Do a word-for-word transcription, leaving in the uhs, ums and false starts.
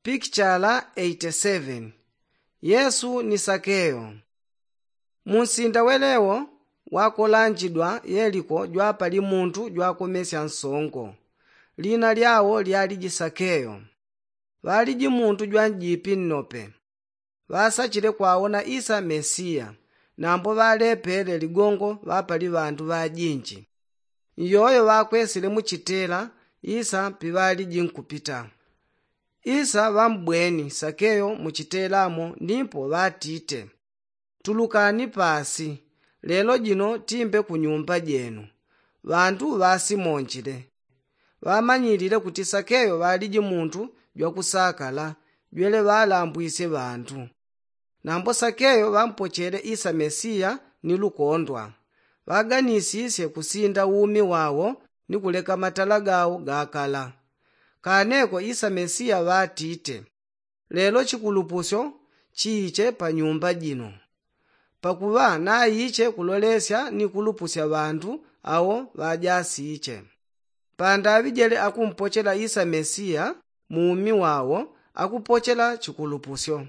Pikichala eighty seven. Yesu ni sakeyo. Munsinda welewo wakolanjidwa yeliko jwapali muntu jwakomesya nsongo. Lina lyawo lyaliji sakeyo. Ŵaliji muntu jwanjipi nnope. Ŵasachile kwaona isa mesiya. Nambo ŵalepele ligongo ŵapali ŵandu ŵajinji. Iyoyo ŵakwesile muchitela isa piŵaliji nkupita. Isa ŵambweni sakeyo muchitelamo nipo ŵatite, tulukani pasi. Lelo jino timbe kunyumba jenu. Ŵandu ŵasimonjile. Ŵamanyilile kuti sakeyo ŵaliji muntu jwakusakala jwele ŵalambwisye ŵandu. Nambo sakeyo ŵampochele isa mesiya ni lukondwa. Ŵaganisisye kusinda umi wawo ni kuleka matala gawo gakala. Kaneko isa mesiya ŵatite, lelo chikulupusyo chiiche panyumba jino. Pakuŵa naiche kulolesya ni kulupusya ŵandu awo ŵajasiiche. Pandaŵi jele akumpochela isa mesiya mu umi wawo akupochela chikulupusyo.